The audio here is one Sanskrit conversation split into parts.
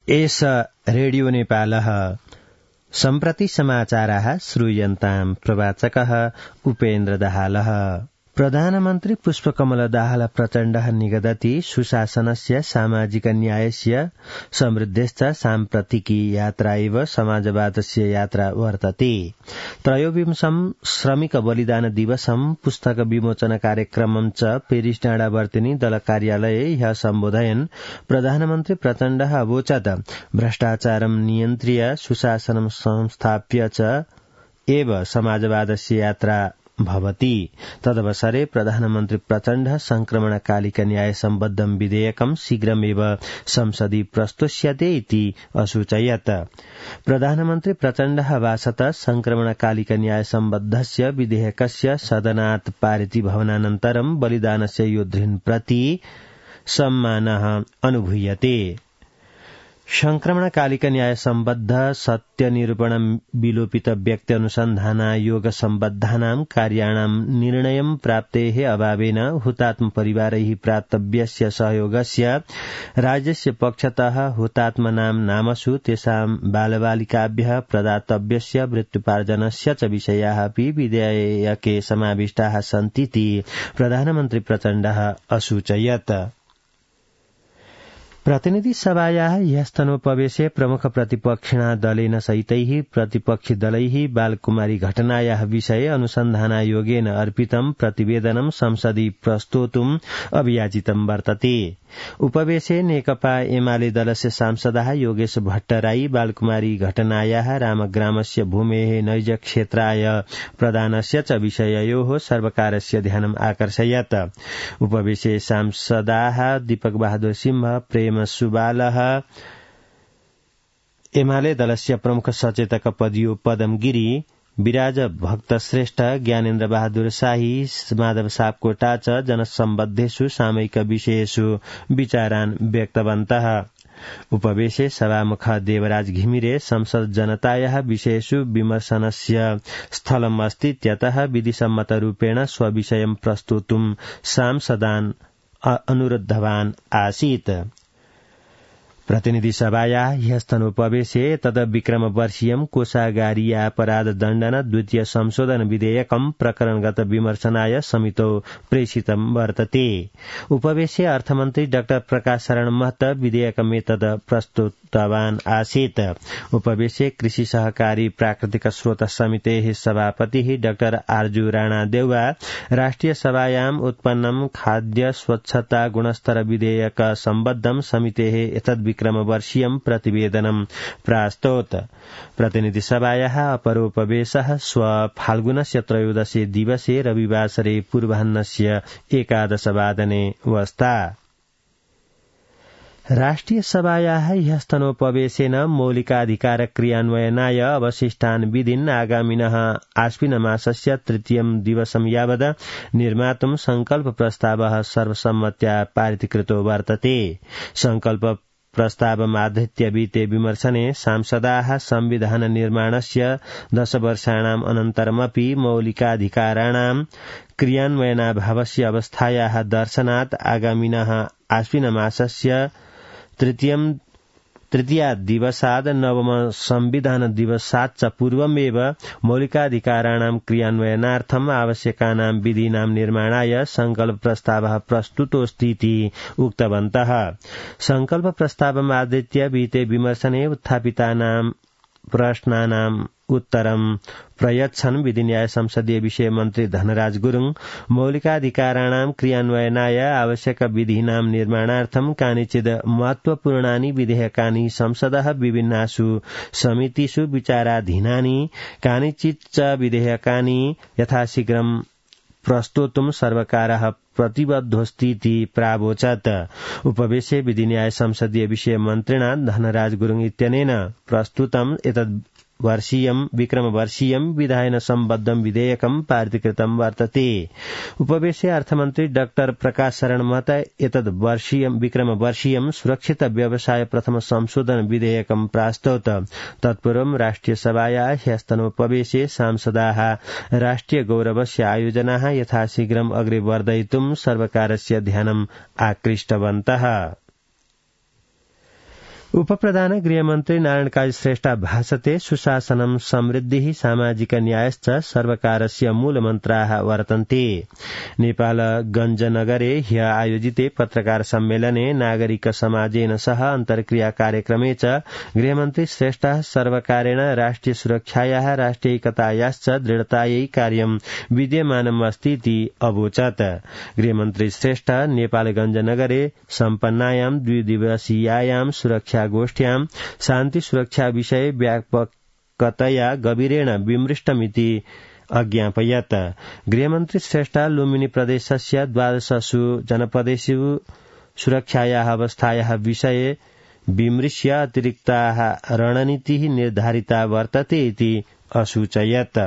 एष रेडियो नेपालः सम्प्रति समाचाराः श्रूयन्ताम् प्रवाचकः उपेन्द्र दाहालः। प्रधानमन्त्री पुष्पकमल दाहाल प्रचण्डः निगदति सुशासनस्य सामाजिक न्यायस्य समृद्धश्च साम्प्रतिकी यात्रा इव समाजवादस्य यात्रा वर्तते। त्रयोविंशं श्रमिक बलिदान दिवसं पुस्तक विमोचन कार्यक्रमं च पेरिस डाँडावर्तिनी दल कार्यालये ह्यः सम्बोधयन् प्रधानमन्त्री प्रचण्डः अवोचत् भ्रष्टाचारं नियन्त्र्य सुशासनं संस्थाप्य च एव समाजवादस्य यात्रा भवति। तदवसरे प्रधानमन्त्री प्रचण्ड संक्रमणकालिक न्याय सम्बद्धं विधेयकं शीघ्रमेव संसदि प्रस्तुष्यते इति असूचयत्। प्रधानमन्त्री प्रचण्डः अभाषत संक्रमणकालिक न्याय सम्बद्धस्य विधेयकस्य सदनात् पारितीभवनानन्तरं बलिदानस्य योद्धॄन् प्रति सम्मानः अनुभूयते। संक्रमणकालिक न्याय सम्बद्ध सत्य निरूपण विलोपित व्यक्ति अनुसन्धानायोग सम्बद्धानां कार्याणां निर्णयं प्राप्तेः अभावेन हुतात्म परिवारैः प्राप्तव्यस्य सहयोगस्य राज्यस्य पक्षतः हुतात्मनां नामसु तेषां बालबालिकाभ्यः प्रदातव्यस्य मृत्युपार्जनस्य च विषयाः अपि विधेयके समाविष्टाः सन्तीति प्रधानमन्त्री प्रचण्डः असूचयत्। प्रतिनिधि सभायाः ह्यस्तनोपवेशे प्रमुख प्रतिपक्षिणा दलेन सहितैः प्रतिपक्षी दलैः बालकुमारी घटनायाः विषये अनुसन्धानायोगेन अर्पितं प्रतिवेदनं संसदि प्रस्तोतुम् अभियाचितं वर्तते। उपवेशे नेकपा एमाले दलस्य सांसदः योगेश भट्टराई बालकुमारी घटनायाः रामग्रामस्य भूमेः नैज क्षेत्राय प्रदानस्य च विषययोः सर्वकारस्य ध्यानम् आकर्षयत्। उपवेशे सांसदाः दीपक बहादुर सिंह प्रेम सुबालः एमाले दलस्य प्रमुख सचेतक पदियो पदम गिरी विराज भक्त श्रेष्ठ ज्ञानेन्द्र बहादुर शाही माधव सापकोटा च जनसम्बद्धेषु सामयिक विषयेषु विचारान् व्यक्तवन्तः। उपवेशे सभामुख देवराज घिमिरे संसद जनतायाः विषयेषु विमर्शनस्य स्थलम् अस्ति इत्यतः विधिसम्मतरूपेण स्वविषयं प्रस्तोतुं सांसदान् अनुरुद्धवान् आसीत्। प्रतिनिधि सभायाः ह्यस्तनोपवेशे तद विक्रमवर्षीयं कोषागारीयापराध दण्डन द्वितीय संशोधन विधेयकं प्रकरणगत विमर्शनाय समितौ प्रेषितं वर्तते। उपवेशे अर्थमन्त्री डाक्टर प्रकाश शरण महत विधेयकमेतद प्रस्तुतवान् आसीत्। उपवेशे कृषि सहकारी प्राकृतिक स्रोत समितेः सभापतिः डाक्टर आर्जु राणा देउवा राष्ट्रिय सभायाम् उत्पन्नं खाद्य स्वच्छता गुणस्तर विधेयक सम्बद्धं समितेः एतद् विक्रमवर्षीयं प्रतिवेदनं प्रास्तोत्। प्रतिनिधि सभायाः अपरोपवेशः श्व फाल्गुनस्य त्रयोदशे दिवसे रविवासरे पूर्वाह्नस्य 11 वादने वस्ता। राष्ट्रिय सभायाः ह्यस्तनोपवेशेन मौलिकाधिकार क्रियान्वयनाय अवशिष्टान् विधीन् आगामिनः आश्विनमासस्य 3 दिवसं यावत् निर्मातुं संकल्प प्रस्तावः सर्वसम्मत्या पारितीकृतो वर्तते। संकल्प प्रस्तावमाधृत्य विते विमर्शने सांसदाः संविधान निर्माणस्य 10 वर्षाणाम् अनन्तरमपि मौलिकाधिकाराणां क्रियान्वयनाभावस्य अवस्थायाः दर्शनात् आगामिनः आश्विनमासस्य तृतीया दिवसाद नवम संविधान दिवसात् च पूर्वमेव मौलिकाधिकाराणां क्रियान्वयनार्थम् आवश्यकानां विधीनां निर्माणाय संकल्प प्रस्तावः प्रस्तुतोऽस्ति इति उक्तवन्तः। संकल्प प्रस्तावमाधृत्य विते विमर्शने उत्थापितानां प्रश्नानाम् उत्तरं प्रयच्छन् विधिन्याय संसदीय विषय मन्त्री धनराज गुरुङ मौलिकाधिकाराणां क्रियान्वयनाय आवश्यक विधीनां निर्माणार्थं कानिचित् महत्वपूर्णानि विधेयकानि संसदः विभिन्नासु समितिषु विचाराधीनानि कानिचित् च विधेयकानि यथाशीघ्रं प्रस्तोतुं सर्वकारः प्रतिबद्धोऽस्ति इति प्रावोचत्। उपवेशे विधिन्याय संसदीय विषय मन्त्रिणा धनराज गुरुङ इत्यनेन प्रस्तुतम् एतद् वर्षीयं विक्रमवर्षीयं विधायन सम्बद्धं विधेयकं पारितीकृतं वर्तते। उपवेशे अर्थमन्त्री डाक्टर प्रकाश शरण महत एतद् वर्षीयं विक्रमवर्षीयं सुरक्षित व्यवसाय प्रथम संशोधन विधेयकं प्रास्तोत्। तत्पूर्वं राष्ट्रिय सभायाः ह्यस्तनोपवेशे सांसदाः राष्ट्रिय गौरवस्य आयोजनाः यथाशीघ्रम् अग्रे वर्धयितुं सर्वकारस्य ध्यानम् आकृष्टवन्तः। उपप्रधान गृहमन्त्री नारायण काजी श्रेष्ठ भाषते सुशासनं समृद्धिः सामाजिक न्यायश्च सर्वकारस्य मूलमन्त्राः वर्तन्ते। नेपाल गञ्जनगरे ह्य आयोजिते पत्रकार सम्मेलने नागरिक समाजेन सह अन्तर्क्रिया कार्यक्रमे च गृहमन्त्री श्रेष्ठः सर्वकारेण राष्ट्रिय सुरक्षायाः राष्ट्रियैकतायाश्च दृढतायै कार्यं विद्यमानम् अस्ति इति अवोचत्। गृहमन्त्री श्रेष्ठ नेपाल गञ्जनगरे सम्पन्नायां द्विदिवसीयायां सुरक्षा गोष्ठ्यां शान्ति सुरक्षा विषये व्यापकतया गभीरेण विमृष्टमिति अज्ञापयत्। गृहमन्त्री श्रेष्ठ लुम्बिनी प्रदेशस्य 12 जनपदेषु सुरक्षायाः अवस्थायाः विषये विमृश्य अतिरिक्ताः रणनीतिः निर्धारिता वर्तते इति असूचयत्।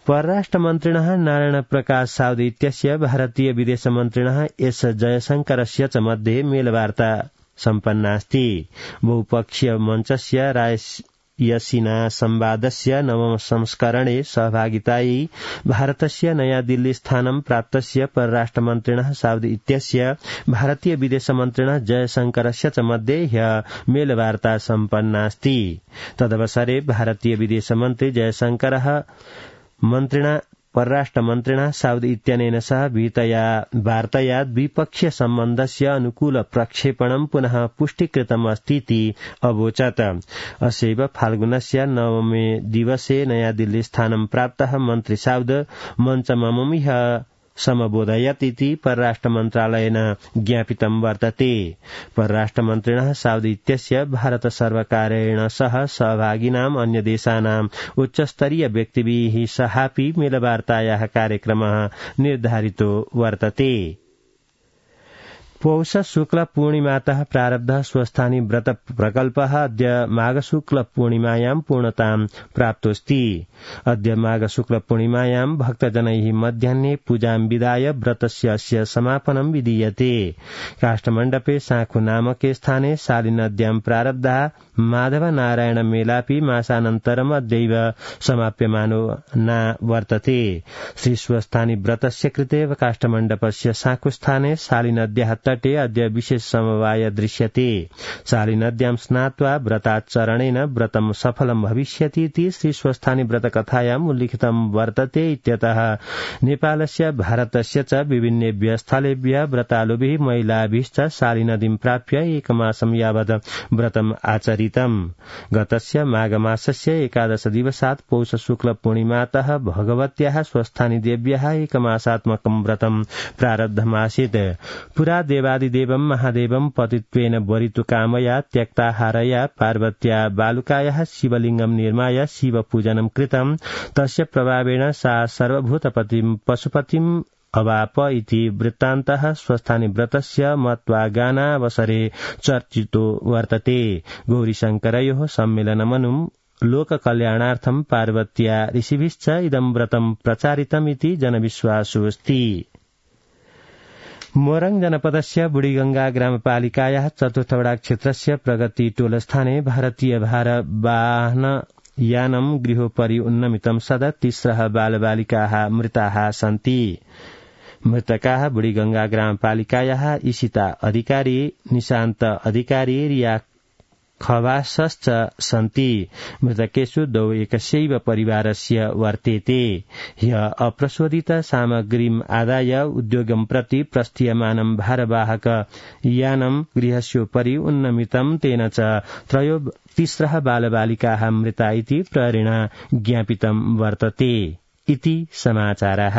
परराष्ट्रमन्त्रिणः नारायण प्रकाश साउदी इत्यस्य भारतीय विदेशमन्त्रिणः एस जयशंकरस्य च मध्ये मेलवार्ता सम्पन्नास्ति। बहुपक्षीय मञ्चस्य रायसीना संवादस्य नवम संस्करणे सहभागितायै भारतस्य नयाँ दिल्ली स्थानं प्राप्तस्य परराष्ट्रमन्त्रिणः साउदी इत्यस्य भारतीय विदेशमन्त्रिणः जयशंकरस्य च मध्ये ह्यः मेलवार्ता सम्पन्नास्ति। तदवसरे भारतीय विदेशमन्त्री जयशंकरः मन्त्रिणा परराष्ट्रमन्त्रिणा साउदी इत्यनेन सह विहितया वार्तया द्विपक्षीय सम्बन्धस्य अनुकूल प्रक्षेपणं पुनः पुष्टीकृतम् अस्ति इति अवोचत्। अस्यैव फाल्गुनस्य 9 दिवसे नयाँ दिल्ली स्थानं प्राप्तः मन्त्री साउद मञ्चममुं समबोधयत् इति परराष्ट्रमन्त्रालयेन ज्ञापितं वर्तते। परराष्ट्रमन्त्रिणः साउदी इत्यस्य भारत सर्वकारेण सह सहभागिनाम् अन्य देशानाम् उच्चस्तरीय व्यक्तिभिः सहापि मेलवार्तायाः कार्यक्रमः निर्धारितो वर्तते। पौष शुक्ल पूर्णिमातः प्रारब्धः स्वस्थानी व्रत प्रकल्पः अद्य माघ शुक्ल पूर्णिमायां पूर्णतां प्राप्तोऽस्ति। अद्य माघ शुक्ल पूर्णिमायां भक्तजनैः मध्याह्ने पूजां विधाय व्रतस्य अस्य समापनं विधीयते। काष्ठमण्डपे साँखु नामके स्थाने शालिनद्यां प्रारब्धः माधव नारायण मेलापि मासानन्तरम् अद्यैव समाप्यमानो वर्तते। श्री स्वस्थानी व्रतस्य कृते काष्ठमण्डपस्य साँखुस्थाने शालिनद्याः तटे अद्य विशेष समवाय दृश्यते। शालिनद्यां स्नात्वा व्रताचरणेन व्रतं सफलं भविष्यति इति श्री स्वस्थानी व्रतकथायाम् उल्लिखितं वर्तते। इत्यतः नेपालस्य भारतस्य च विभिन्नेभ्यः स्थलेभ्यः व्रतालुभिः महिलाभिश्च शालिनदीं प्राप्य एकमासं यावत् व्रतम् आचरितम्। गतस्य माघमासस्य 11 दिवसात् पौष शुक्ल पूर्णिमातः भगवत्याः स्वस्थानी देव्याः एकमासात्मकं व्रतं प्रारब्धमासीत्। पुरा देवादिदेवं महादेवं पतित्वेन वरितुकामया त्यक्ताहारया पार्वत्या बालुकायाः शिवलिङ्गं निर्माय शिवपूजनं कृतं। तस्य प्रभावेण सा सर्वभूतपतिं पशुपतिम् अवाप इति वृत्तान्तः स्वस्थानी व्रतस्य महत्वागानावसरे चर्चितो वर्तते। गौरीशङ्करयोः सम्मेलनमनुं लोककल्याणार्थं पार्वत्या ऋषिभिश्च इदं व्रतं प्रचारितमिति जनविश्वासोऽस्ति। मोरङ जनपदस्य बुढीगंगा ग्रामपालिकायाः चतुर्थवडा क्षेत्रस्य प्रगति टोलस्थाने भारतीय भारवाहन यानं गृहोपरि उन्नमितं सदा 3 बालबालिकाः मृताः सन्ति। मृतकाः बुढीगंगा ग्रामपालिकायाः ईशिता अधिकारी, निशान्त अधिकारी, रिया खवासश्च सन्ति। मृतकेषु द्वौ एकस्यैव परिवारस्य वर्तेते। ह्य अप्रशोधित सामग्रीम् आदाय उद्योगं प्रति प्रस्थीयमानं भारवाहक यानं गृहस्योपरि उन्नमितं। तेन च 3 बालबालिकाः मृता इति प्रहरेण ज्ञापितं वर्तते इति समाचारः।